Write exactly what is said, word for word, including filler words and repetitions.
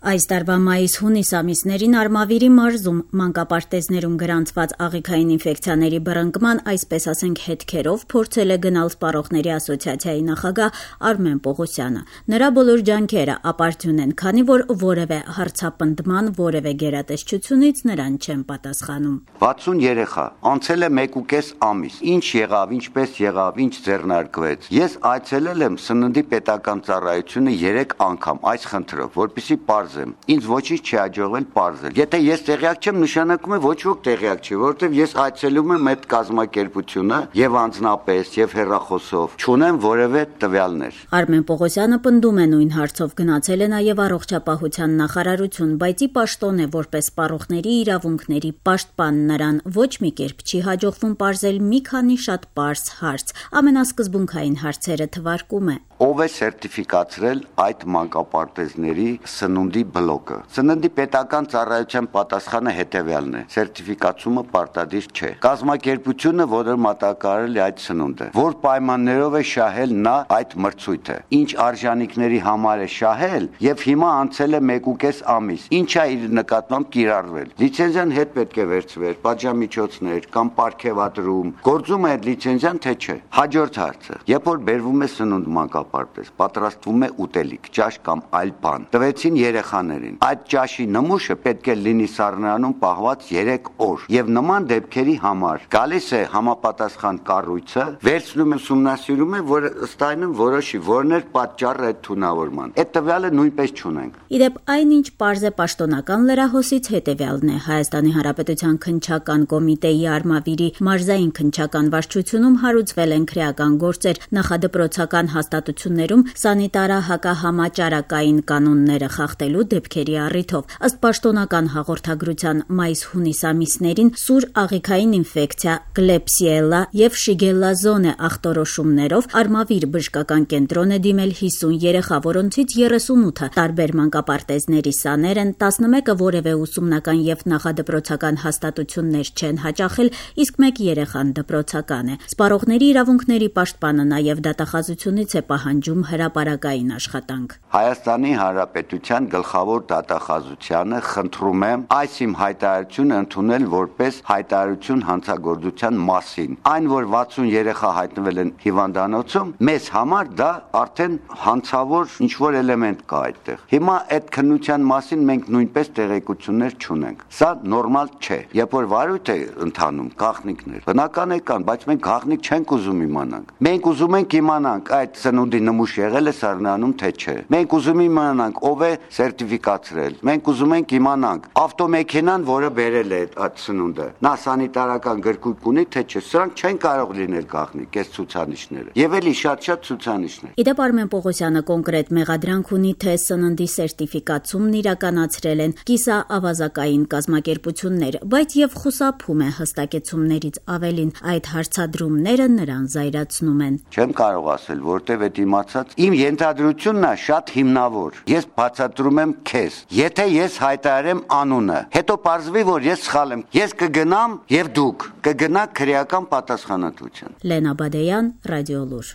Այս տարվա մայիս-հունիս ամիսներին Արմավիրի մարզում մանկապարտեզներում գրանցված աղիքային ինֆեկցիաների բռնկման, այսպես ասենք, հետքերով փորձել է գնալ Սպառողների ասոցիացիայի նախագահ Արմեն Պողոսյանը։ Նրա բոլոր ջանքերը ապարդյուն են, քանի որ որևէ հարցապնդման, որևէ գերատեսչությունից նրան չեն պատասխանում։ վաթսուն երեխա, անցել է մեկուկես ամիս, ինչ եղավ, ինչպես եղավ, ինչ ձեռնարկվեց։ Ես այցելել եմ սննդի պետական ծառայությունը երեք անգամ այս խնդրով, որպեսզի պարզեմ։ Ինձ ոչինչ չի հաջողվել պարզել։ Եթե ես տեղյակ չեմ, նշանակում է ոչ ոք տեղյակ չի, որովհետև ես այցելում եմ այդ կազմակերպությունը եւ անձնապես եւ հեռախոսով, չունեմ որևէ տվյալներ։ Արմեն Պողոսյանը պնդում է նույն հարցով գնացել է նաեւ առողջապահության նախարարություն, բայց ի պաշտոն է որպես սպառողների իրավունքների պաշտպան նրան ոչ մի կերպ չի հաջողվում պարզել մի քանի շատ պարզ հարց։ Ամենասկզբունքային հարցերը թվարկում է. Ով է սերտիֆիկացրել այդ մանկապարտեզների սննդի բլոկը։ Սննդի պետական ծառայության պատասխանը հետևյալն է. սերտիֆիկացումը պարտադիր չէ։ Կազմակերպությունը, որը մատակարարել է այդ սնունդը, որ պայմաններով է շահել նա այդ մրցույթը, ինչ արժանինքների համար է շահել եւ հիմա անցել է մեկուկես ամիս, ինչ է իր նկատմամբ կիրառվել։ Լիցենզիան հետ պետք է վերցվեր, պատժամիջոցներ կամ պարգևատրում, գործում է այդ լիցենզիան թե չէ։ Հաջորդ հարցը. երբ որ բերվում է սնունդ մանկապարտեզ, պատրաստվում է ուտելիք, ճաշ կամ այլ բան, տվեցին երեխաներին։ Այդ ճաշի նմուշը պետք է լինի սառնարանում պահված երեք օր եւ նման դեպքերի համար գալիս է համապատասխան կառույցը, վերցնում է ուսումնասիրում է, որ ըստ այնմ որոշի որն էր պատճառը այդ թունավորման։ Այդ տվյալը նույնպես չունենք։ Իդեպ այնինչ պարզ է պաշտոնական լրահոսից հետևյալն է. Հայաստանի Հանրապետության քննչական կոմիտեի Արմավիրի մարզային քննչական վարչությունում հարուցվել են քրեական գործեր, նախադպրոցական հաստատություններում սանիտարահակահամաճարակային կանոնները խախտելու դեպքերի առիթով։ Ըստ պաշտոնական հաղորդագրության մայիս-հունիս ամիսներին սուր աղիքային ինֆեկցիա, կլեպսիելա եւ շիգելլազոնե ախտորոշումներով Արմավիր բժշկական կենտրոն է դիմել հիսուն երեխա, որոնցից երեսունութը տարբեր մանկապարտեզների սաներ են, տասնմեկը որևէ ուսումնական եւ նախադպրոցական հաստատություններ չեն հաճախել, իսկ մեկ երեխան դպրոցական է։ Սպառողների իրավունքների պաշտպանը նաեւ դատախազությունից է պահանջում հրապարակային աշխատանք։ Հայաստանի Հանրապետության գլխավոր դատախազությանը խնդրում եմ այս իմ հայտարարությունը ընդունել որպես հայտարարություն հանցագործության մասին։ Այն, որ վաթսուն երեխա հայտնվել են հիվանդանոցում, մեզ համար դա արդեն հանցավոր ինչ-որ էլեմենտ կա այդտեղ։ Հիմա այդ քննության մասին մենք նույնպես տեղեկություններ չունենք։ Սա նորմալ չէ։ Երբ որ վարույթ է ընթանում գաղտնիքներ, բնական է կան, բայց մենք գաղտնիք չենք ուզում իմանանք։ Մենք ուզում ենք իմանանք այդ սնունդի նմուշ եղել է սառնանում թե չէ։ Մենք ուզում իմանանք ով է սերտիֆիկացրել։ Մենք ուզում ենք իմանանք ավտոմեքենան, որը բերել է այդ սնունդը, նա սանիտարական գրքույկ ունի թե չէ։ Սրանք չեն կարող լինել գաղտնիք, այս ցուցանիշները։ Եվ էլի շատ-շատ ցուցանիշներ։ Իդեպ Արմեն Պողոսյանը կոնկրետ մեղադրանք ունի, թե սննդի սերտիֆիկացումն իրականացրել են կիսաավազակային կազմակերպություններ, բայց եւ խուսափում է հստակեցումներից ավելին։ Այդ հարցադրումները նրան զայրացնում են։ Չեմ կարող ասել, որտեվ այդ իմացած իմ ենթադրությունն է շատ հիմնավոր։ Ես բացատրում եմ քեզ, եթե ես հայտարարեմ անունը, հետո պարզվի, որ ես սխալ եմ, ես կգնամ եւ դուք կգնաք քրեական պատասխանատվության։ Լենա Բադեյան, Ռադիոլուր։